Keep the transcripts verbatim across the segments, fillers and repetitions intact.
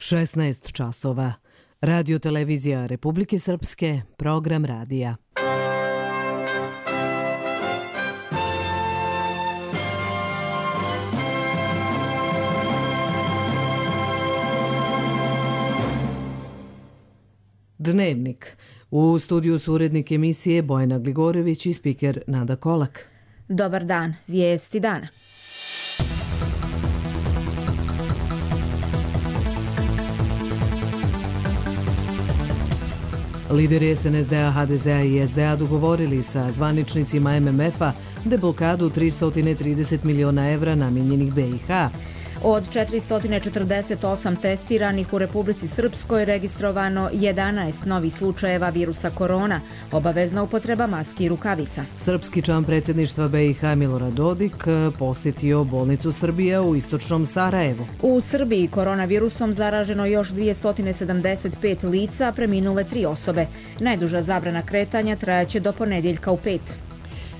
šesnaest časova. Radio televizija Republike Srpske, program radija. Dnevnik. U studiju su urednik emisije Bojana Gligorević i spiker Nada Kolak. Dobar dan, vijesti dana. Lideri S N S D-a, H D Z-a i S D A dogovorili sa zvaničnicima M M F-a deblokadu tristo trideset miliona evra namijenjenih B i H. Od četiristo četrdeset osam testiranih u Republici Srpskoj registrovano jedanaest novih slučajeva virusa korona, obavezna upotreba maski i rukavica. Srpski član predsjedništva B i H Milorad Dodik posjetio bolnicu Srbija u istočnom Sarajevu. U Srbiji koronavirusom zaraženo još dvjesto sedamdeset pet lica, preminule tri osobe. Najduža zabrana kretanja trajaće do ponedjeljka u pet.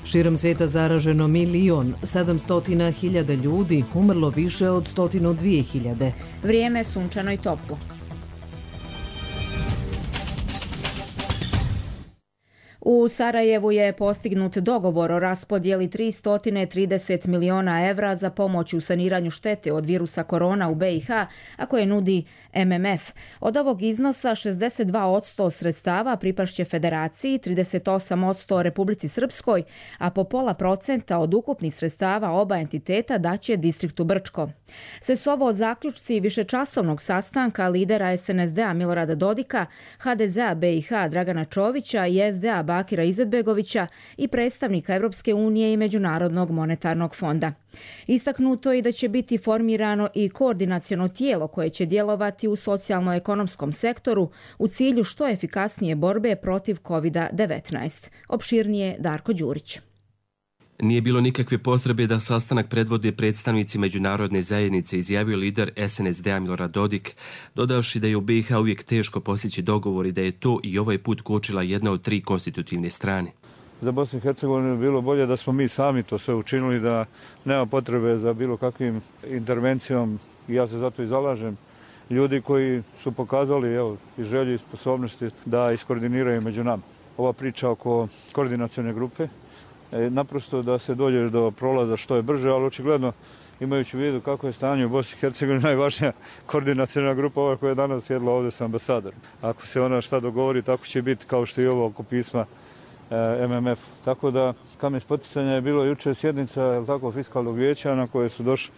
Širom svijeta zaraženo milion sedamsto hiljada ljudi, umrlo više od sto dvije hiljade. Vrijeme sunčano i toplo. U Sarajevu je postignut dogovor o raspodjeli tristo trideset miliona evra za pomoć u saniranju štete od virusa korona u B i H, a koje nudi M M F. Od ovog iznosa šezdeset dva posto sredstava pripašće Federaciji, trideset osam posto Republici Srpskoj, a po pola procenta od ukupnih sredstava oba entiteta daće distriktu Brčko. Sve su ovo zaključci višečasovnog sastanka lidera S N S D-a Milorada Dodika, H D Z-a B i H Dragana Čovića i S D A Bakira Izetbegovića i predstavnika Evropske unije i Međunarodnog monetarnog fonda. Istaknuto je da će biti formirano i koordinaciono tijelo koje će djelovati u socijalno-ekonomskom sektoru u cilju što efikasnije borbe protiv kovid devetnaest. Opširnije Darko Đurić. Nije bilo nikakve potrebe da sastanak predvode predstavnici međunarodne zajednice, izjavio lider S N S D-a Milorad Dodik, dodavši da je u B i H uvijek teško postići dogovor i da je to i ovaj put kočila jedna od tri konstitutivne strane. Za Bosnu i Hercegovinu je bilo bolje da smo mi sami to sve učinili, da nema potrebe za bilo kakvim intervencijom i ja se zato i zalažem. Ljudi koji su pokazali evo, i želje i sposobnosti da iskoordiniraju među nama. Ova priča oko koordinacione grupe, naprosto da se dođe do prolaza što je brže, ali očigledno imajući u vidu kako je stanje u Bosni i Hercegovini, najvažnija koordinacijna grupa ova koja je danas sjedla ovdje sa ambasadorom. Ako se ona šta dogovori, tako će biti kao što i ovo oko pisma M M F. Tako da kamen spoticanja je bilo jučer sjednica je tako, fiskalnog vijeća na koje su došli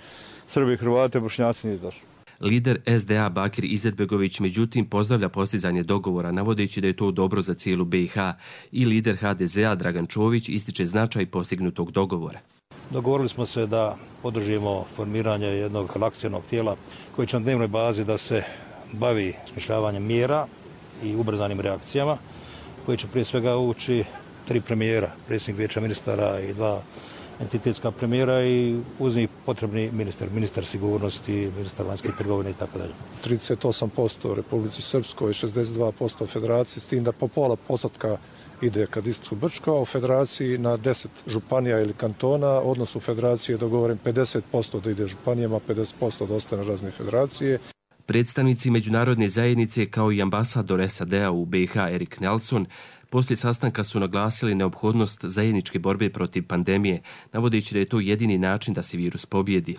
Srbi, Hrvate, Bošnjaci nije došli. Lider S D A Bakir Izetbegović međutim pozdravlja postizanje dogovora, navodeći da je to dobro za cijelu B i H, i lider H D Z-a Dragan Čović ističe značaj postignutog dogovora. Dogovorili smo se da podržimo formiranje jednog akcionog tijela koji će na dnevnoj bazi da se bavi smišljavanjem mjera i ubrzanim reakcijama, koji će prije svega ući tri premijera, predsjednik vijeća ministara i dva entitetska premijera i uz njih potrebni ministar, ministar sigurnosti, ministar vanjskih trgovine i tako dalje. trideset osam posto Republici Srpskoj, šezdeset dva posto Federaciji, s tim da po pola postotka ide ka distriktu Brčko, a u Federaciji na deset županija ili kantona, odnos u Federaciji je dogovoren pedeset posto da ide županijama, pedeset posto da ostane razne federacije. Predstavnici međunarodne zajednice kao i ambasador S A D-a u B i H Erik Nelson poslije sastanka su naglasili neophodnost zajedničke borbe protiv pandemije, navodeći da je to jedini način da se virus pobjedi.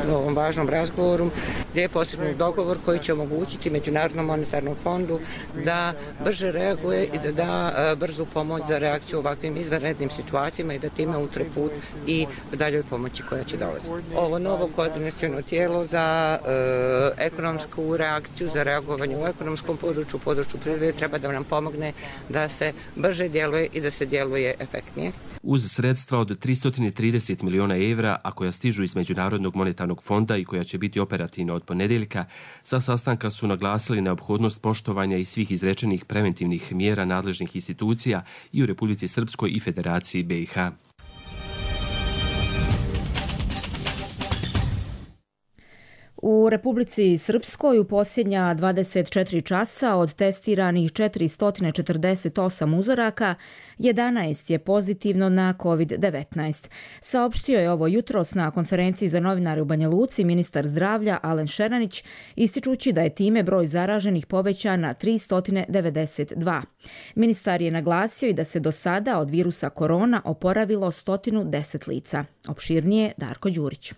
U ovom važnom razgovoru gdje je postignut dogovor koji će omogućiti Međunarodnom monetarnom fondu da brže reaguje i da da brzu pomoć za reakciju u ovakvim izvanrednim situacijama i da time utre put i daljoj pomoći koja će dolaziti. Ovo novo koordinaciono tijelo za e, ekonomsku reakciju, za reagovanje u ekonomskom području, u području privrede treba da nam pomogne da se brže djeluje i da se djeluje efektnije. Uz sredstva od tristo trideset miliona evra, a koja stižu iz Međunarodnog monetarnog fonda i koja će biti operativna od ponedjeljka, sa sastanka su naglasili neophodnost poštovanja i svih izrečenih preventivnih mjera nadležnih institucija i u Republici Srpskoj i Federaciji B i H. U Republici Srpskoj u posljednja dvadeset četiri časa od testiranih četiristo četrdeset osam uzoraka, jedanaest je pozitivno na kovid devetnaest. Saopštio je ovo jutros na konferenciji za novinare u Banja Luci ministar zdravlja Alen Šeranić, ističući da je time broj zaraženih povećan na tristo devedeset dva. Ministar je naglasio i da se do sada od virusa korona oporavilo sto deset lica. Opširnije Darko Đurić.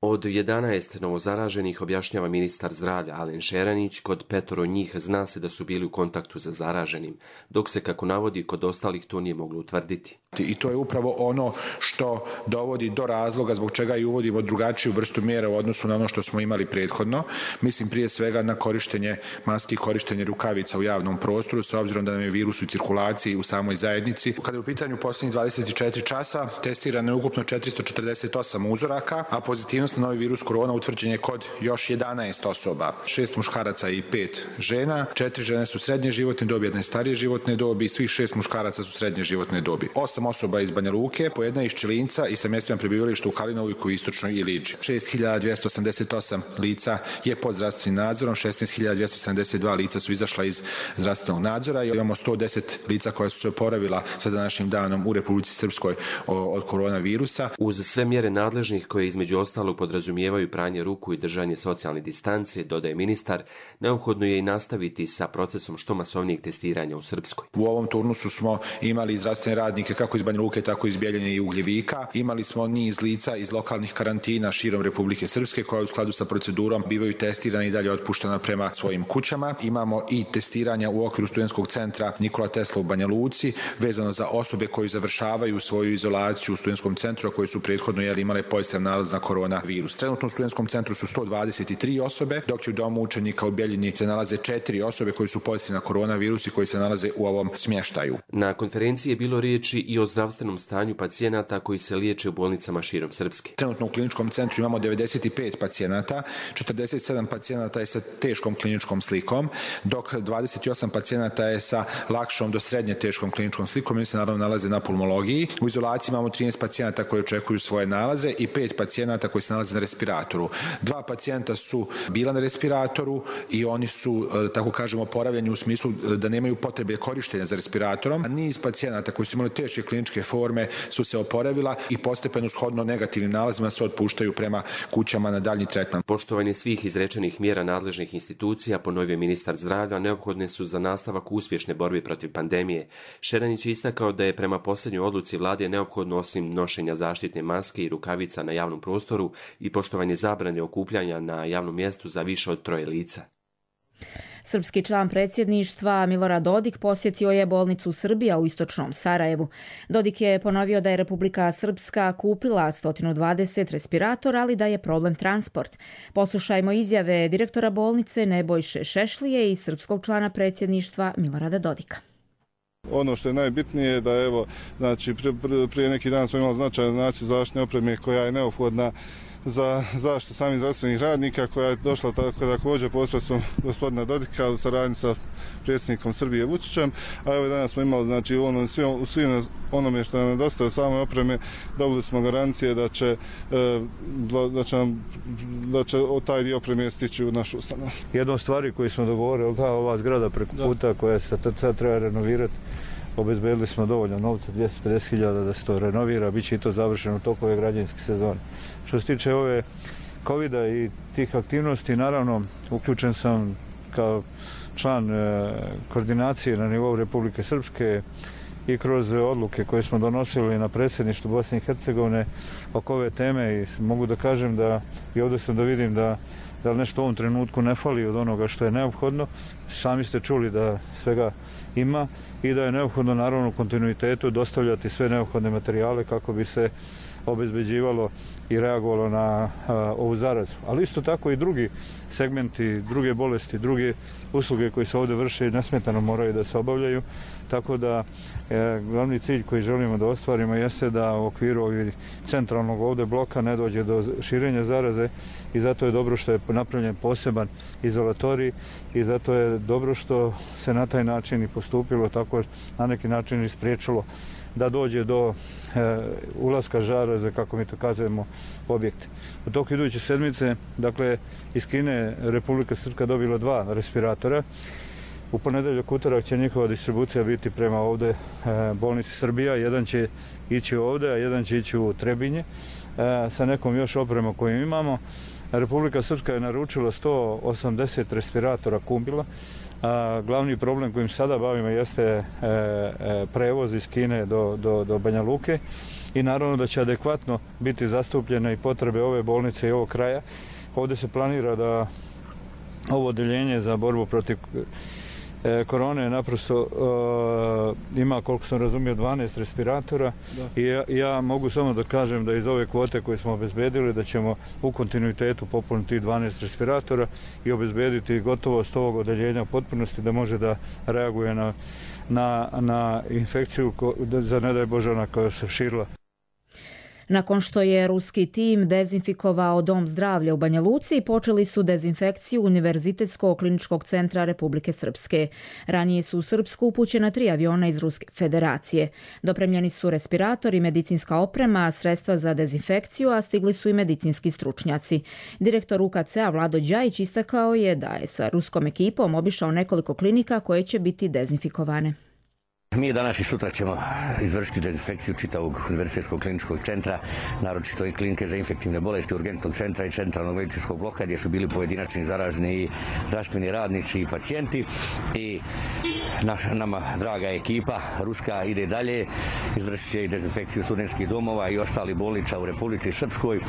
Od jedanaest novozaraženih, objašnjava ministar zdravlja Alen Šeranić, kod petoro njih zna se da su bili u kontaktu sa zaraženim, dok se, kako navodi, kod ostalih to nije moglo utvrditi. I to je upravo ono što dovodi do razloga zbog čega i uvodimo drugačiju vrstu mjera u odnosu na ono što smo imali prethodno. Mislim prije svega na korištenje maski, korištenje rukavica u javnom prostoru, s obzirom da nam je virus u cirkulaciji u samoj zajednici. Kada je u pitanju posljednjih dvadeset četiri časa, testirano je ukupno četiristo četrdeset osam uzoraka, a pozitivnost na novi virus korona utvrđen je kod još jedanaest osoba. šest muškaraca i pet žena. četiri žene su srednje životne dobi, jedna je starije životne dobi, svih šest muškaraca su srednje životne dobi. osam osoba iz Banja Luke, po jedna iz Čilinca i sa mjestima prebivališta u Kalinoviku, Istočnoj i Liđi. šest hiljada dvjesto osamdeset osam lica je pod zdravstvenim nadzorom, šesnaest hiljada dvjesto sedamdeset dva lica su izašla iz zdravstvenog nadzora i imamo sto deset lica koja su se oporavila sa današnjim danom u Republici Srpskoj od koronavirusa. Uz sve mjere nadležnih koje između ostalog podrazumijevaju pranje ruku i držanje socijalne distance, dodaje ministar, neophodno je i nastaviti sa procesom što masovnijeg testiranja u Srpskoj. U ovom turnusu smo imali zdravstvene radnike kako iz Banja Luke, tako iz Bjeljine i Ugljevika. Imali smo niz lica iz lokalnih karantina širom Republike Srpske koja u skladu sa procedurom bivaju testirani i dalje otpuštena prema svojim kućama. Imamo i testiranja u okviru studentskog centra Nikola Tesla u Banja Luci vezano za osobe koji završavaju svoju izolaciju u studentskom centru, a koji su prethodno jeli, imale pozitivan nalaz na koronavirus. Trenutno u studentskom centru su sto dvadeset tri osobe, dok je u domu učenika u Bjeljini se nalaze četiri osobe koji su pozitivne na koronavirus i koji se nalaze u ovom smještaju. Na konferenciji je bilo riječi i o zdravstvenom stanju pacijenata koji se liječe u bolnicama širom Srpske. Trenutno u kliničkom centru imamo devedeset pet pacijenata, četrdeset sedam pacijenata je sa teškom kliničkom slikom, dok dvadeset osam pacijenata je sa lakšom do srednje teškom kliničkom slikom i se naravno nalaze na pulmologiji. U izolaciji imamo trinaest pacijenata koji očekuju svoje nalaze i pet pacijenata koji se nalaze na respiratoru. Dva pacijenta su bila na respiratoru i oni su, tako kažemo, oporavljeni u smislu da nemaju potrebe korištenja za respiratorom. A niz pacijenata koji su imali teške kliničke forme su se oporavila i postepeno shodno negativnim nalazima se otpuštaju prema kućama na daljnji tretman. Poštovanje svih izrečenih mjera nadležnih institucija, ponovio ministar zdravlja, neophodne su za nastavak uspješne borbe protiv pandemije. Šeranić je istakao da je prema posljednjoj odluci vlade neophodno osim nošenja zaštitne maske i rukavica na javnom prostoru i poštovanje zabrane okupljanja na javnom mjestu za više od troje lica. Srpski član predsjedništva Milorad Dodik posjetio je bolnicu Srbija u istočnom Sarajevu. Dodik je ponovio da je Republika Srpska kupila sto dvadeset respiratora, ali da je problem transport. Poslušajmo izjave direktora bolnice Nebojše Šešlije i srpskog člana predsjedništva Milorada Dodika. Ono što je najbitnije je da evo, znači, prije neki dan smo imali značajnu naciju zaštitne opreme koja je neophodna za zaštitu samih zdravstvenih radnika, koja je došla također posredstvom gospodina Dodika u saradnji sa predsjednikom Srbije Vučićem, a evo danas smo imali, znači, u, onom, u svim onome što nam je dosta same opreme, dobili smo garancije da će, da će, nam, da će taj dio opreme stići u našu ustanovu. Jedna od stvari koju smo dogovorili, ta ova zgrada preko puta koja se sad treba renovirati, obezbedili smo dovoljno novca, dvjesto pedeset hiljada da se to renovira, bit će i to završeno u toku ove građevinske sezone. Što se tiče ove kovida i tih aktivnosti, naravno, uključen sam kao član koordinacije na nivou Republike Srpske i kroz odluke koje smo donosili na predsjedništvu Bosne i Hercegovine oko ove teme i mogu da kažem da i ovdje sam da vidim da, da nešto u ovom trenutku ne fali od onoga što je neophodno. Sami ste čuli da svega ima i da je neophodno naravno u kontinuitetu dostavljati sve neophodne materijale kako bi se obezbeđivalo i reagovalo na a, ovu zarazu. Ali isto tako i drugi segmenti, druge bolesti, druge usluge koje se ovdje vrše nesmetano moraju da se obavljaju. Tako da e, glavni cilj koji želimo da ostvarimo jeste da u okviru ovih centralnog ovdje bloka ne dođe do širenja zaraze i zato je dobro što je napravljen poseban izolatorij i zato je dobro što se na taj način i postupilo, tako na neki način i spriječilo da dođe do e, ulaska žaraze, kako mi to kažemo, objekte. U toku iduće sedmice, dakle, iz Kine Republika Srpska dobila dva respiratora. U ponedeljak, utorak će njihova distribucija biti prema ovde e, bolnici Srbija. Jedan će ići ovde, a jedan će ići u Trebinje e, sa nekom još opremom koju imamo. Republika Srpska je naručila sto osamdeset respiratora Kumbila. A glavni problem kojim sada bavimo jeste e, e, prevoz iz Kine do, do, do Banja Luke i naravno da će adekvatno biti zastupljene i potrebe ove bolnice i ovog kraja. Ovdje se planira da ovo odeljenje za borbu protiv e, korone naprosto e, ima, koliko sam razumio, dvanaest respiratora. Da. I ja, ja mogu samo da kažem da iz ove kvote koje smo obezbedili da ćemo u kontinuitetu popuniti dvanaest respiratora i obezbediti gotovost ovog odeljenja u potpunosti da može da reaguje na, na, na infekciju ko, za ne daj Bože ona koja se širila. Nakon što je ruski tim dezinfikovao Dom zdravlja u Banja Luci, počeli su dezinfekciju Univerzitetskog kliničkog centra Republike Srpske. Ranije su u Srpsku upućena tri aviona iz Ruske federacije. Dopremljeni su respiratori, medicinska oprema, sredstva za dezinfekciju, a stigli su i medicinski stručnjaci. Direktor U K C-a Vlado Đajić istakao je da je sa ruskom ekipom obišao nekoliko klinika koje će biti dezinfikovane. Mi danas i sutra ćemo izvršiti dezinfekciju čitavog Univerzitetskog kliničkog centra, naročito i klinike za infektivne bolesti, urgentnog centra i centralnog medicinskog bloka gdje su bili pojedinačni zaraženi i zdravstveni radnici i pacijenti. I naša, nama draga ekipa ruska ide dalje, izvršit će i dezinfekciju studentskih domova i ostali bolnica u Republici Srpskoj.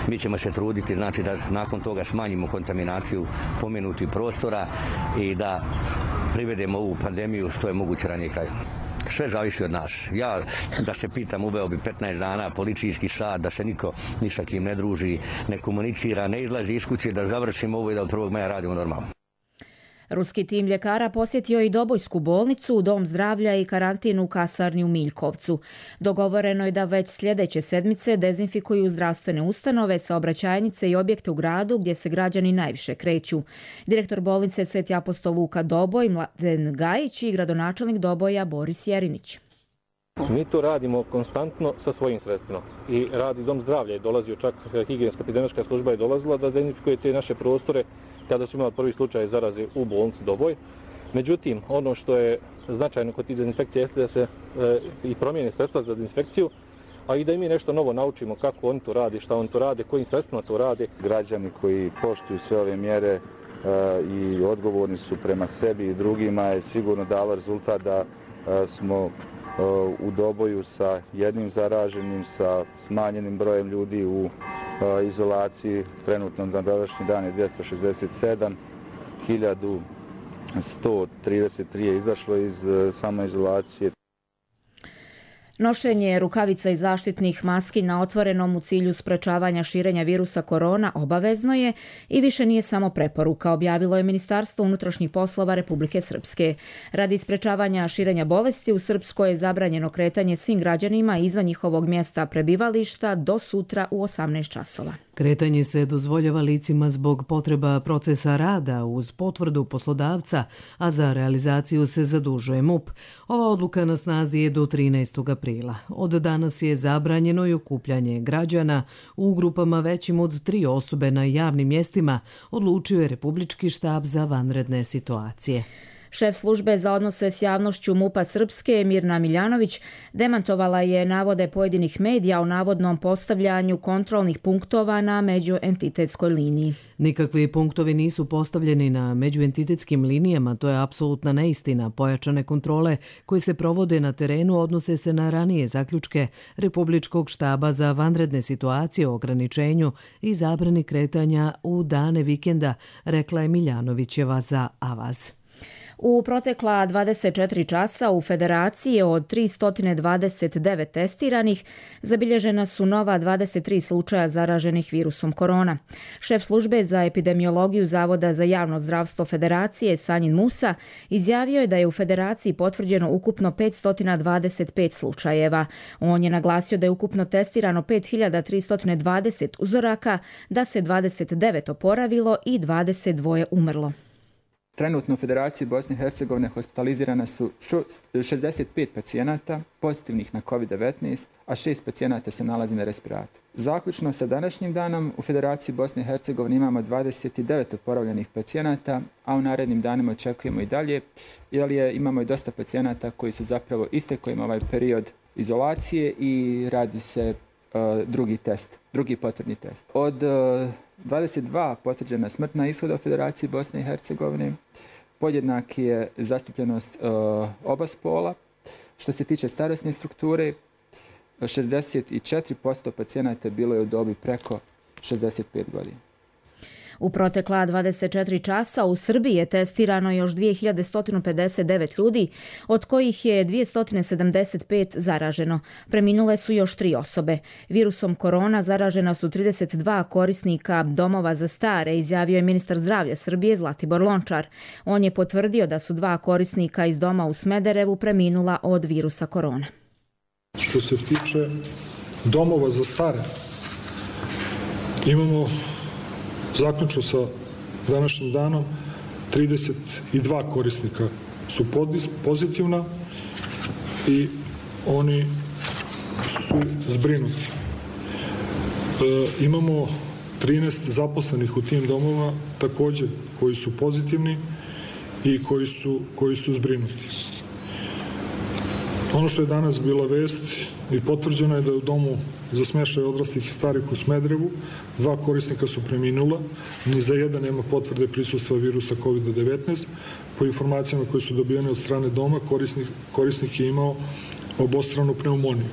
Mi ćemo se truditi, znači, da nakon toga smanjimo kontaminaciju pomenutih prostora i da privedemo ovu pandemiju što je moguće ranije kraju. Sve zavisi od nas. Ja, da se pitam, uveo bi petnaest dana policijski sat, da se niko ni sa kim ne druži, ne komunicira, ne izlazi iz kuće, da završimo ovo i da od prvog maja radimo normalno. Ruski tim ljekara posjetio i Dobojsku bolnicu, Dom zdravlja i karantin u kasarni u Miljkovcu. Dogovoreno je da već sljedeće sedmice dezinfikuju zdravstvene ustanove, saobraćajnice i objekte u gradu gdje se građani najviše kreću. Direktor bolnice Sveti apostol Luka Doboj, Mladen Gajić i gradonačelnik Doboja Boris Jerinić. Mi to radimo konstantno sa svojim sredstvima i radi Dom zdravlja je dolazio, čak higijenska epidemiološka služba je dolazila da dezinfikuje te naše prostore kada su imali prvi slučaj zaraze u bolnici Doboj. Međutim, ono što je značajno kod tih dezinfekcija jeste da se e, i promijene sredstva za dezinfekciju, a i da i mi nešto novo naučimo kako oni to rade, šta oni to rade, kojim sredstvima to rade. Građani koji poštuju sve ove mjere e, i odgovorni su prema sebi i drugima je sigurno dalo rezultat da e, smo u Doboju sa jednim zaraženim, sa smanjenim brojem ljudi u izolaciji. Trenutno na današnji dan je dvjesto šezdeset sedam, hiljadu sto trideset tri je izašlo iz samoizolacije. Nošenje rukavica i zaštitnih maski na otvorenom u cilju sprečavanja širenja virusa korona obavezno je i više nije samo preporuka, objavilo je Ministarstvo unutrašnjih poslova Republike Srpske. Radi sprečavanja širenja bolesti u Srpskoj je zabranjeno kretanje svim građanima izvan njihovog mjesta prebivališta do sutra u osamnaest časova. Kretanje se dozvoljava licima zbog potreba procesa rada uz potvrdu poslodavca, a za realizaciju se zadužuje M U P. Ova odluka na snazi je do trinaestog aprila. Od danas je zabranjeno i okupljanje građana u grupama većim od tri osobe na javnim mjestima, odlučio je Republički štab za vanredne situacije. Šef službe za odnose s javnošću M U P-a Srpske Mirna Miljanović demantovala je navode pojedinih medija o navodnom postavljanju kontrolnih punktova na međuentitetskoj liniji. Nikakvi punktovi nisu postavljeni na međuentitetskim linijama, to je apsolutna neistina. Pojačane kontrole koje se provode na terenu odnose se na ranije zaključke Republičkog štaba za vanredne situacije o ograničenju i zabrani kretanja u dane vikenda, rekla je Miljanovićeva za Avaz. U protekla dvadeset četiri časa u Federaciji od tristo dvadeset devet testiranih zabilježena su nova dvadeset tri slučaja zaraženih virusom korona. Šef službe za epidemiologiju Zavoda za javno zdravstvo Federacije Sanjin Musa izjavio je da je u Federaciji potvrđeno ukupno petsto dvadeset pet slučajeva. On je naglasio da je ukupno testirano pet hiljada tristo dvadeset uzoraka, da se dvadeset devet oporavilo i dvadeset dva umrlo. Trenutno u Federaciji Bosne i Hercegovine hospitalizirana su šezdeset pet pacijenata pozitivnih na kovid devetnaest, a šest pacijenata se nalazi na respiratoru. Zaključno sa današnjim danom u Federaciji Bosne i Hercegovine imamo dvadeset devet oporavljenih pacijenata, a u narednim danima očekujemo i dalje, jer je, imamo i dosta pacijenata koji su zapravo istekli im ovaj period izolacije i radi se uh, drugi test, drugi potvrdni test. Od uh, dvadeset dva potvrđena smrtna ishoda u Federaciji Bosne i Hercegovine, podjednak je zastupljenost uh, oba spola. Što se tiče starosne strukture, šezdeset četiri posto pacijenata bilo je u dobi preko šezdeset pet godina. U protekla dvadeset četiri časa u Srbiji je testirano još dvije hiljade sto pedeset devet ljudi, od kojih je dvjesto sedamdeset pet zaraženo. Preminule su još tri osobe. Virusom korona zaražena su trideset dva korisnika domova za stare, izjavio je ministar zdravlja Srbije Zlatibor Lončar. On je potvrdio da su dva korisnika iz doma u Smederevu preminula od virusa korona. Što se tiče domova za stare, imamo zaključno sa današnjim danom trideset dva korisnika su pozitivna i oni su zbrinuti. E, imamo trinaest zaposlenih u tim domovima također koji su pozitivni i koji su, koji su zbrinuti. Ono što je danas bila vest i potvrđeno je da je u domu za smještaj odraslih i starih u Smederevu dva korisnika su preminula, ni za jedan nema potvrde prisustva virusa kovid devetnaest. Po informacijama koje su dobijene od strane doma, korisnik, korisnik je imao obostranu pneumoniju.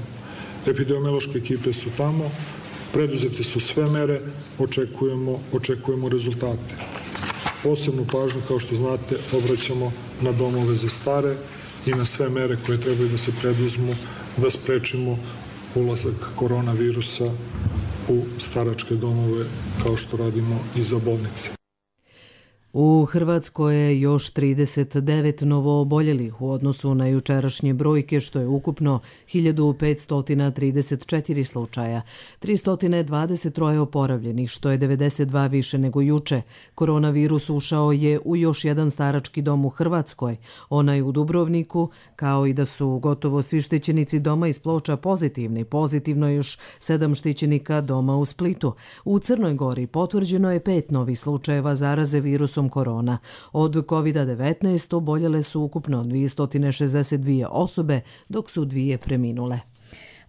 Epidemiološke ekipe su tamo, preduzete su sve mere, očekujemo, očekujemo rezultate. Posebnu pažnju, kao što znate, obraćamo na domove za stare i na sve mere koje trebaju da se preduzmu da sprečimo ulazak koronavirusa u staračke domove, kao što radimo i za bolnice. U Hrvatskoj je još trideset devet novooboljelih u odnosu na jučerašnje brojke, što je ukupno hiljadu petsto trideset četiri slučaja, tristo dvadeset tri oporavljenih, što je devedeset dva više nego juče. Koronavirus ušao je u još jedan starački dom u Hrvatskoj, onaj u Dubrovniku, kao i da su gotovo svi štićenici doma iz Ploča pozitivni. Pozitivno je još sedam štićenika doma u Splitu. U Crnoj Gori potvrđeno je pet novih slučajeva zaraze virusom korona. Od kovid devetnaest oboljele su ukupno dvjesto šezdeset dvije osobe, dok su dvije preminule.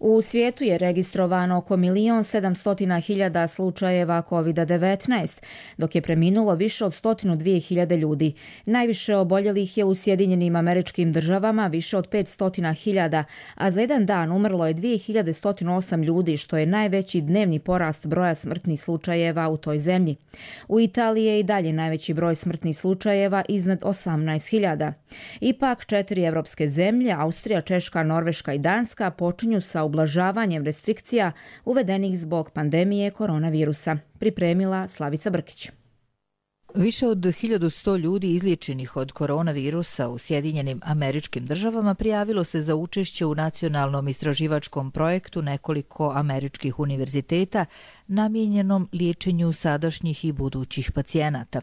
U svijetu je registrovano oko milion sedamsto hiljada slučajeva kovid devetnaest, dok je preminulo više od sto dvije hiljade ljudi. Najviše oboljelih je u Sjedinjenim Američkim Državama, više od petsto hiljada, a za jedan dan umrlo je dvije hiljade sto osam ljudi, što je najveći dnevni porast broja smrtnih slučajeva u toj zemlji. U Italiji je i dalje najveći broj smrtnih slučajeva, iznad osamnaest hiljada. Ipak četiri evropske zemlje, Austrija, Češka, Norveška i Danska, počinju sa ublažavanjem restrikcija uvedenih zbog pandemije koronavirusa. Pripremila Slavica Brkić. Više od hiljadu sto ljudi izliječenih od koronavirusa u Sjedinjenim Američkim Državama prijavilo se za učešće u nacionalnom istraživačkom projektu nekoliko američkih univerziteta namijenjenom liječenju sadašnjih i budućih pacijenata.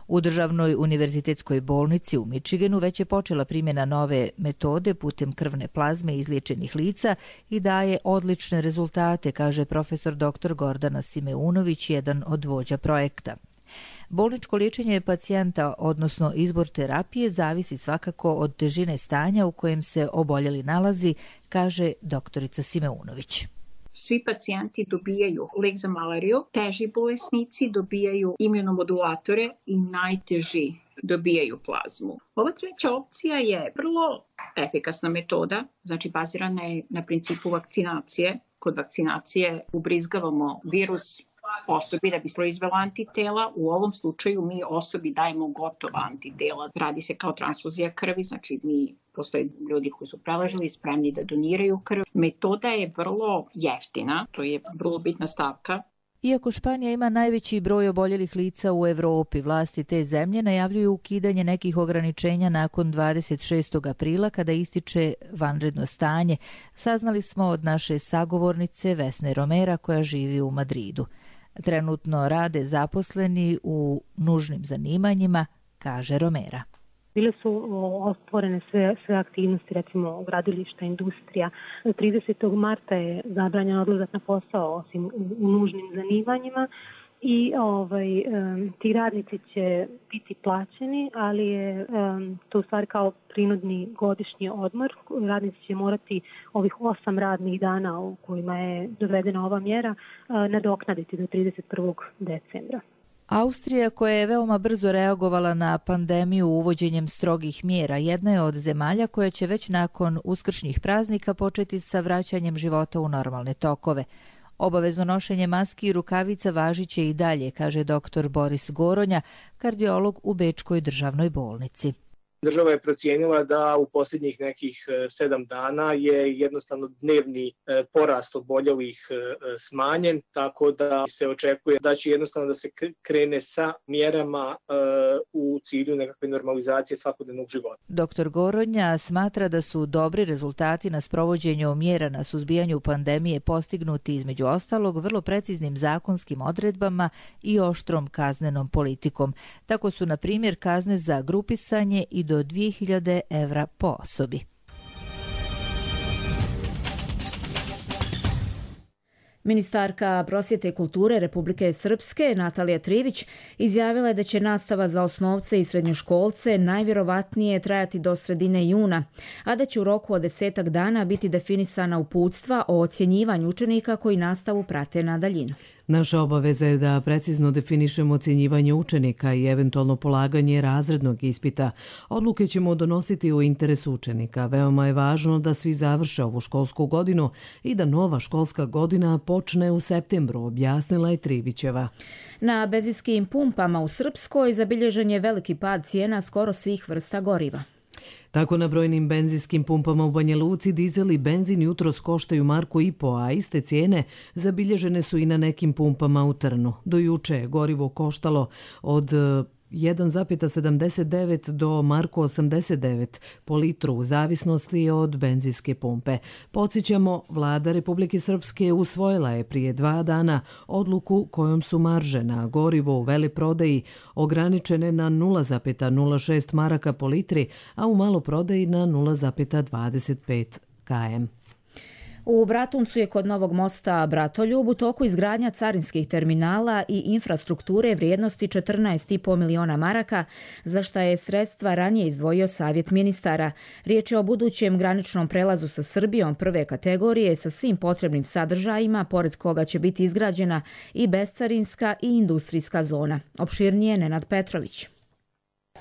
U državnoj univerzitetskoj bolnici u Michiganu već je počela primjena nove metode putem krvne plazme izliječenih lica i daje odlične rezultate, kaže profesor doktor Gordana Simeunović, jedan od vođa projekta. Bolničko liječenje pacijenta, odnosno izbor terapije, zavisi svakako od težine stanja u kojem se oboljeli nalazi, kaže doktorica Simeunović. Svi pacijenti dobijaju lek za malariju, teži bolesnici dobijaju imunomodulatore i najteži dobijaju plazmu. Ova treća opcija je vrlo efikasna metoda, znači bazirana je na principu vakcinacije. Kod vakcinacije ubrizgavamo virus osobi da bi proizvela antitela. U ovom slučaju mi osobi dajemo gotova antitela. Radi se kao transfuzija krvi, znači mi postoje ljudi koji su preležali spremni da doniraju krv. Metoda je vrlo jeftina, to je vrlo bitna stavka. Iako Španija ima najveći broj oboljelih lica u Evropi, vlasti te zemlje najavljuju ukidanje nekih ograničenja nakon dvadeset šestog aprila kada ističe vanredno stanje. Saznali smo od naše sagovornice Vesne Romera koja živi u Madridu. Trenutno rade zaposleni u nužnim zanimanjima, kaže Romera. Bile su otvorene sve, sve aktivnosti, recimo gradilišta, industrija. tridesetog marta je zabranjen odlazak na posao osim u, u nužnim zanimanjima i ovaj, um, ti radnici će biti plaćeni, ali je um, to u stvari kao prinudni godišnji odmor. Radnici će morati ovih osam radnih dana u kojima je dovedena ova mjera uh, nadoknaditi do trideset prvog decembra. Austrija, koja je veoma brzo reagovala na pandemiju uvođenjem strogih mjera, jedna je od zemalja koja će već nakon uskršnjih praznika početi sa vraćanjem života u normalne tokove. Obavezno nošenje maski i rukavica važiće i dalje, kaže doktor Boris Goronja, kardiolog u Bečkoj državnoj bolnici. Država je procijenila da u posljednjih nekih sedam dana je jednostavno dnevni porast oboljelih smanjen, tako da se očekuje da će jednostavno da se krene sa mjerama u cilju nekakve normalizacije svakodnevnog života. doktor Goronja smatra da su dobri rezultati na sprovođenju mjera na suzbijanju pandemije postignuti između ostalog vrlo preciznim zakonskim odredbama i oštrom kaznenom politikom. Tako su, na primjer, kazne za grupisanje i do dvije hiljade evra po osobi. Ministarka prosvjete i kulture Republike Srpske Natalija Trivić izjavila je da će nastava za osnovce i srednjoškolce najvjerovatnije trajati do sredine juna, a da će u roku od desetak dana biti definisana uputstva o ocjenjivanju učenika koji nastavu prate na daljinu. Naša obaveza je da precizno definišemo ocjenjivanje učenika i eventualno polaganje razrednog ispita. Odluke ćemo donositi u interesu učenika. Veoma je važno da svi završe ovu školsku godinu i da nova školska godina počne u septembru, objasnila je Trivićeva. Na benzinskim pumpama u Srpskoj zabilježen je veliki pad cijena skoro svih vrsta goriva. Tako na brojnim benzinskim pumpama u Banja Luci dizel i benzin jutros koštaju marku i po, a iste cijene zabilježene su i na nekim pumpama u Trnu. Do juče je gorivo koštalo od jedan zarez sedamdeset devet do marku osamdeset devet po litru u zavisnosti od benzinske pumpe. Podsjećamo, vlada Republike Srpske usvojila je prije dva dana odluku kojom su marže na gorivo u veleprodaji ograničene na nula zarez nula šest maraka po litri, a u maloprodaji na nula zarez dvadeset pet kilometara. U Bratuncu je kod novog mosta Bratoljub u toku izgradnja carinskih terminala i infrastrukture vrijednosti četrnaest i po miliona maraka, za šta je sredstva ranije izdvojio Savjet ministara. Riječ je o budućem graničnom prelazu sa Srbijom prve kategorije sa svim potrebnim sadržajima, pored koga će biti izgrađena i bescarinska i industrijska zona. Opširnije Nenad Petrović.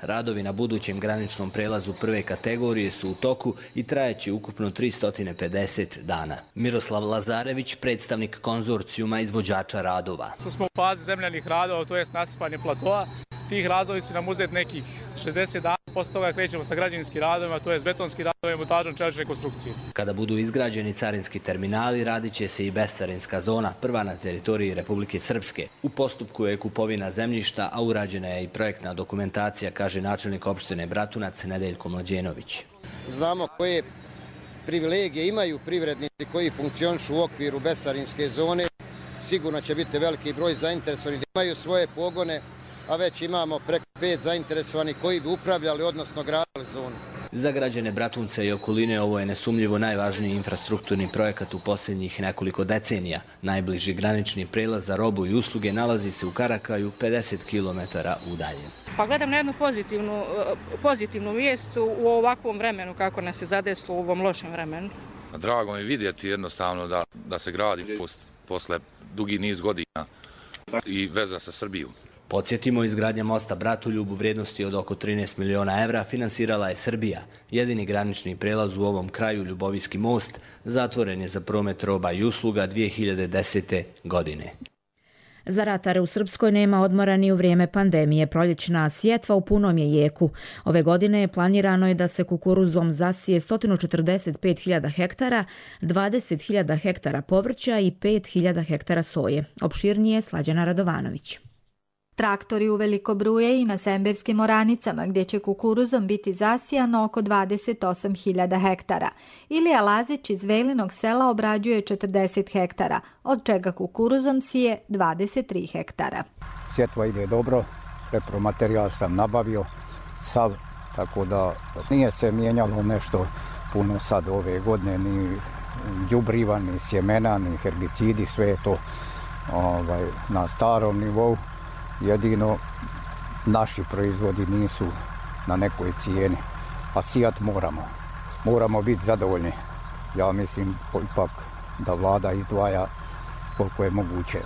Radovi na budućem graničnom prelazu prve kategorije su u toku i trajeće ukupno tristo pedeset dana. Miroslav Lazarević, predstavnik konzorcijuma izvođača radova. Tu smo u fazi zemljanih radova, to je nasipanje platoa. Tih radovi će nam uzeti nekih šezdeset dana, posle toga krećemo sa građevinskim radovima, to je betonskim radovima i montažom čelične konstrukcije. Kada budu izgrađeni carinski terminali, radit će se i bescarinska zona, prva na teritoriji Republike Srpske. U postupku je kupovina zemljišta, a urađena je i projektna dokumentacija, kaže načelnik opštine Bratunac Nedeljko Mlađenović. Znamo koje privilegije imaju privrednici koji funkcionišu u okviru bescarinske zone. Sigurno će biti veliki broj zainteresovanih da imaju svoje pogone, a već imamo preko pet zainteresovanih koji bi upravljali, odnosno gradili zonu. Za građane Bratunca i okoline ovo je nesumljivo najvažniji infrastrukturni projekat u posljednjih nekoliko decenija. Najbliži granični prelaz za robu i usluge nalazi se u Karakaju, pedeset kilometara udaljen. Pa gledam na jednu pozitivnu, pozitivnu mjestu u ovakvom vremenu, kako nas je zadeslo u ovom lošem vremenu. Drago mi vidjeti jednostavno da, da se gradi post, posle dugi niz godina i veza sa Srbijom. Podsjetimo, izgradnja mosta Bratoljub u vrijednosti od oko trinaest miliona evra finansirala je Srbija. Jedini granični prelaz u ovom kraju, Ljubovijski most, zatvoren je za promet roba i usluga dvije hiljade desete. godine. Za ratare u Srpskoj nema odmora ni u vrijeme pandemije. Proljećna sjetva u punom je jeku. Ove godine planirano je da se kukuruzom zasije sto četrdeset pet hiljada hektara, dvadeset hiljada hektara povrća i pet hiljada hektara soje. Opširnije Slađana Radovanović. Traktori u Velikobruje i na Semberskim oranicama, gdje će kukuruzom biti zasijano oko dvadeset osam hiljada hektara. Ilija Lazić iz Velinog sela obrađuje četrdeset hektara, od čega kukuruzom sije dvadeset tri hektara. Sjetva ide dobro, repromaterijal sam nabavio, sav, tako da nije se mijenjalo nešto puno sad ove godine, ni đubriva, ni sjemena, ni herbicidi, sve je to ovaj, na starom nivou. Jedino naši proizvodi nisu na nekoj cijeni, a sijat moramo. Moramo biti zadovoljni. Ja mislim ipak da vlada izdvaja koliko je moguće.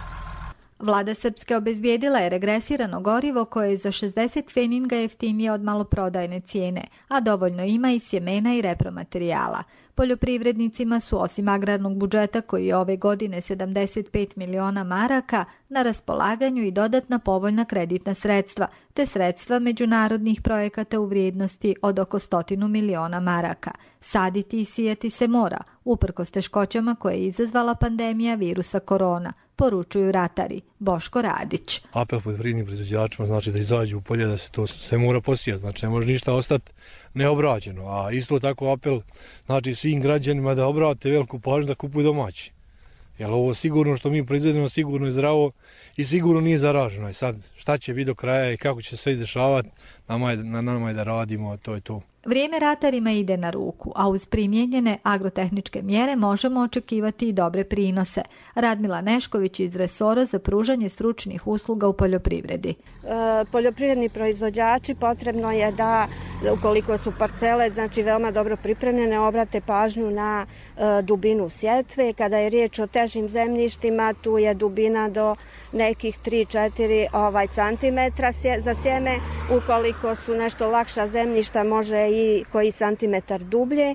Vlada Srpske obezbijedila je regresirano gorivo koje je za šezdeset pfeninga jeftinije od maloprodajne cijene, a dovoljno ima i sjemena i repromaterijala. Poljoprivrednicima su osim agrarnog budžeta koji je ove godine sedamdeset pet miliona maraka na raspolaganju i dodatna povoljna kreditna sredstva, te sredstva međunarodnih projekata u vrijednosti od oko stotinu miliona maraka. Saditi i sijati se mora, uprkos teškoćama koje je izazvala pandemija virusa korona, poručuju ratari. Boško Radić. Apel poljoprivrednim proizvođačima znači da izađu u polje, da se to sve mora posijati, znači ne može ništa ostati neobrađeno, a isto tako apel znači svim građanima da obrate veliku pažnju da kupuju domaći. Jer ovo sigurno što mi proizvedemo sigurno je zdravo i sigurno nije zaraženo. I sad šta će biti do kraja i kako će se sve izdešavati, nama je, na nama je da radimo, to je to. Vrijeme ratarima ide na ruku, a uz primijenjene agrotehničke mjere možemo očekivati i dobre prinose. Radmila Nešković iz resora za pružanje stručnih usluga u poljoprivredi. E, poljoprivredni proizvođači potrebno je da, ukoliko su parcele znači veoma dobro pripremljene, obrate pažnju na e, dubinu sjetve. Kada je riječ o težim zemljištima, tu je dubina do nekih tri do četiri ovaj, centimetra za sjeme. Ukoliko su nešto lakša zemljišta, može i koji santimetar dublje,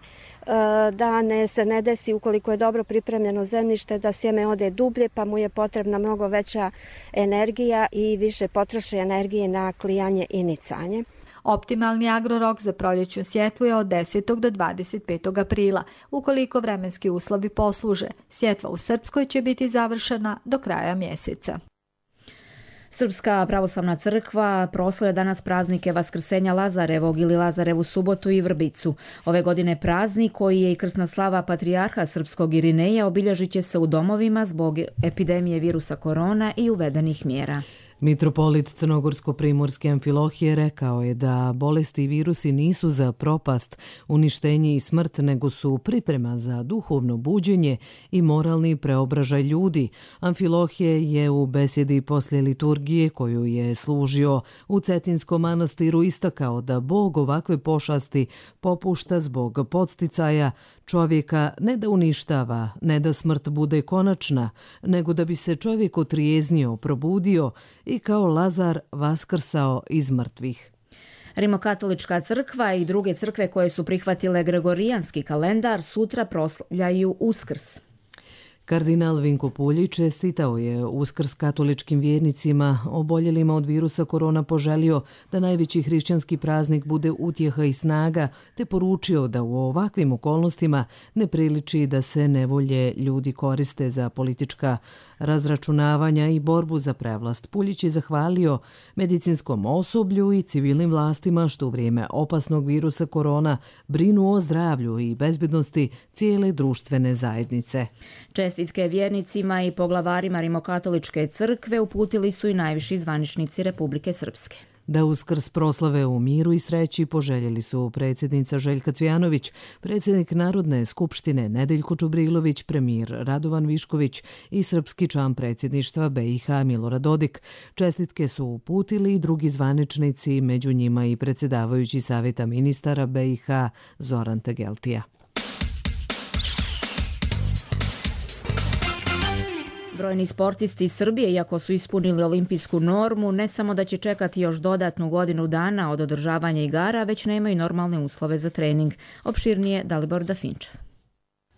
da ne se ne desi ukoliko je dobro pripremljeno zemljište da sjeme ode dublje, pa mu je potrebna mnogo veća energija i više potroši energije na klijanje i nicanje. Optimalni agrorok za proljećnu sjetvu je od desetog do dvadeset petog aprila. Ukoliko vremenski uslovi posluže, sjetva u Srpskoj će biti završena do kraja mjeseca. Srpska pravoslavna crkva proslavlja danas praznike Vaskrsenja Lazarevog ili Lazarevu subotu i Vrbicu. Ove godine praznik koji je i krsna slava patrijarha srpskog Irineja obilježit će se u domovima zbog epidemije virusa korona i uvedenih mjera. Mitropolit Crnogorsko-primorske Amfilohije rekao je da bolesti i virusi nisu za propast, uništenje i smrt, nego su priprema za duhovno buđenje i moralni preobražaj ljudi. Amfilohije je u besjedi poslije liturgije koju je služio u Cetinskom manastiru istakao da Bog ovakve pošasti popušta zbog podsticaja čovjeka, ne da uništava, ne da smrt bude konačna, nego da bi se čovjek otrijeznio, probudio i kao Lazar vaskrsao iz mrtvih. Rimokatolička crkva i druge crkve koje su prihvatile gregorijanski kalendar sutra proslavljaju Uskrs. Kardinal Vinko Puljić čestitao je Uskrs katoličkim vjernicima, oboljelima od virusa korona poželio da najveći hrišćanski praznik bude utjeha i snaga, te poručio da u ovakvim okolnostima ne priliči da se nevolje ljudi koriste za politička razračunavanja i borbu za prevlast. Puljić je zahvalio medicinskom osoblju i civilnim vlastima što u vrijeme opasnog virusa korona brinu o zdravlju i bezbednosti cijele društvene zajednice. Čestitke vjernicima i poglavarima Rimokatoličke crkve uputili su i najviši zvaničnici Republike Srpske. Da Uskrs proslave u miru i sreći poželjeli su predsjednica Željka Cvijanović, predsjednik Narodne skupštine Nedeljko Čubrilović, premijer Radovan Višković i srpski član predsjedništva B i H Milorad Dodik. Čestitke su uputili i drugi zvaničnici, među njima i predsjedavajući Savjeta ministara B i H Zoran Tegeltija. Brojni sportisti iz Srbije, iako su ispunili olimpijsku normu, ne samo da će čekati još dodatnu godinu dana od održavanja igara, već nemaju normalne uslove za trening. Opširnije Dalibor Dafinčev.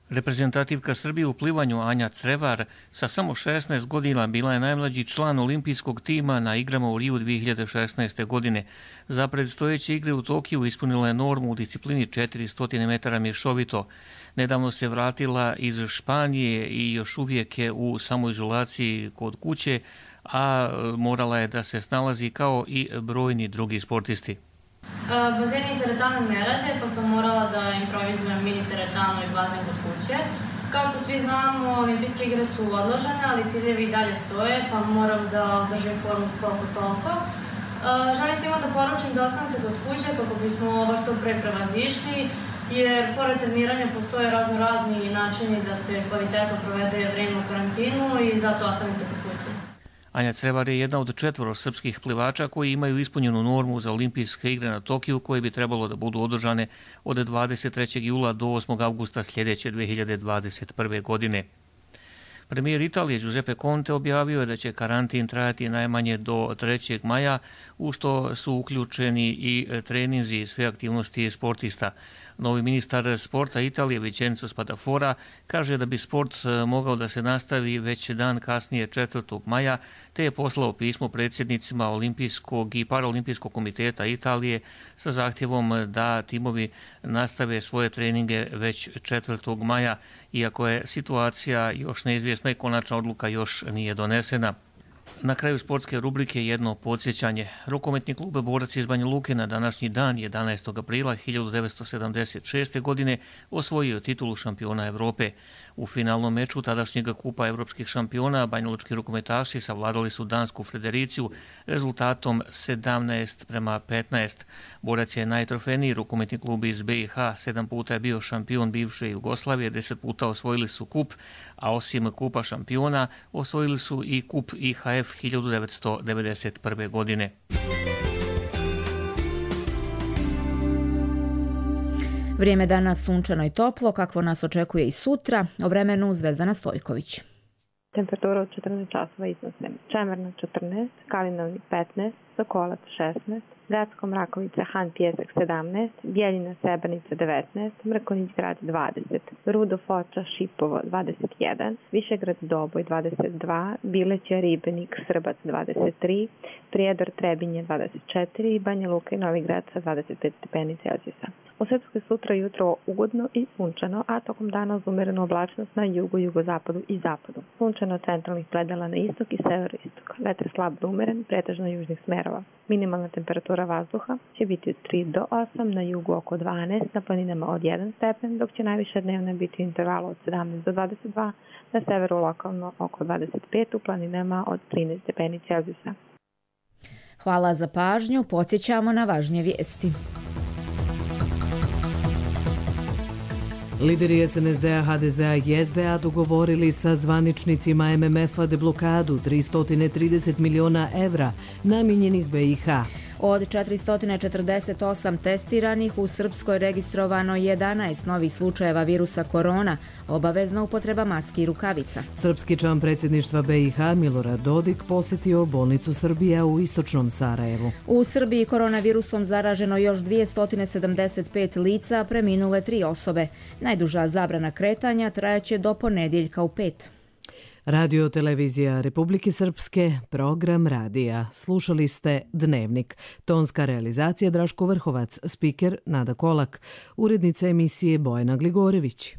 Reprezentativka Srbije u plivanju Anja Crevar sa samo šesnaest godina bila je najmlađi član olimpijskog tima na igrama u Riju dvije hiljade šesnaeste. godine. Za predstojeće igre u Tokiju ispunila je normu u disciplini četiristo metara mješovito. Nedavno se vratila iz Španije i još uvijek je u samoizolaciji kod kuće, a morala je da se snalazi kao i brojni drugi sportisti. Bazeni i teretana ne rade, pa sam morala da improvizujem mini teretanu i bazen kod kuće. Kao što svi znamo, olimpijske igre su odložene, ali ciljevi i dalje stoje, pa moram da održim formu koliko toliko. Želim svima da poručim da ostanete kod kuće kako bismo ovo što pre prevazišli, jer pored treniranja postoje razno razni načini da se kvalitetno provede vreme u karantinu i zato ostanite kod kuće. Anja Crevar je jedna od četvoro srpskih plivača koji imaju ispunjenu normu za olimpijske igre na Tokiju koje bi trebalo da budu održane od dvadeset trećeg jula do osmog avgusta sljedeće dve hiljade dvadeset prve. godine. Premijer Italije Giuseppe Conte objavio je da će karantin trajati najmanje do trećeg maja, u što su uključeni i treninzi i sve aktivnosti sportista. Novi ministar sporta Italije Vincenzo Spadafora kaže da bi sport mogao da se nastavi već dan kasnije četvrtog maja, te je poslao pismo predsjednicima Olimpijskog i Paraolimpijskog komiteta Italije sa zahtjevom da timovi nastave svoje treninge već četvrtog maja, iako je situacija još neizvjesna i konačna odluka još nije donesena. Na kraju sportske rubrike jedno podsjećanje. Rukometni klub Borac iz Banja Luke na današnji dan jedanaestog aprila hiljadu devetsto sedamdeset šeste. godine osvojio titulu šampiona Evrope. U finalnom meču tadašnjeg kupa evropskih šampiona banjalučki rukometaši savladali su dansku Fredericiju rezultatom sedamnaest prema petnaest. Borac je najtrofejniji rukometni klub iz B i H, sedam puta je bio šampion bivše Jugoslavije, deset puta osvojili su kup, a osim kupa šampiona osvojili su i kup I H F hiljadu devetsto devedeset prve. godine. Vrijeme danas sunčano i toplo, kakvo nas očekuje i sutra. O vremenu Zvezdana Stojković. Temperatura od četrnaest časova iznose Čemerna četrnaest, Kalinov petnaest, Sokolac šesnaest, Gradsko Mrakovica, Han Pjesak sedamnaest, Bjeljina Srebrnica devetnaest, Mrkonjić Grad dvadeset, Rudo Foča Šipovo dvadeset jedan, Višegrad Doboj dvadeset dva, Bileća Ribenik Srbac dvadeset tri, Prijedor Trebinje dvadeset četiri, Banja Luka i Novi Grad sa dvadeset pet stepeni Celzijusa. U Srpskoj sutra jutro ugodno i sunčano, a tokom dana uz umerenu oblačnost na jugu, jugozapadu i zapadu. Sunčano centralnih predela na istok i severoistok. Vetar slab do umeren, pretežno južnih smerova. Minimalna temperatura vazduha će biti od tri do osam, na jugu oko dvanaest, na planinama od jedan stepen, dok će najviša dnevna biti u intervalu od sedamnaest do dvadeset dva, na severu lokalno oko dvadeset pet, u planinama od trinaest stepeni Celzijusa. Hvala za pažnju, podsjećamo na važnije vijesti. Lideri S N S D-a, H D Z-a i S D A dogovorili sa zvaničnicima M M F-a deblokadu tristo trideset miliona evra namijenjenih B i H. Od četiristo četrdeset osam testiranih u Srpskoj registrovano jedanaest novih slučajeva virusa korona, obavezna upotreba maski i rukavica. Srpski član predsjedništva B i H Milorad Dodik posjetio bolnicu Srbija u istočnom Sarajevu. U Srbiji koronavirusom zaraženo još dvjesto sedamdeset pet lica, preminule tri osobe. Najduža zabrana kretanja trajaće do ponedjeljka u pet. Radio televizija Republike Srpske, program radija. Slušali ste Dnevnik. Tonska realizacija Draško Vrhovac, spiker Nada Kolak, urednica emisije Bojana Gligorević.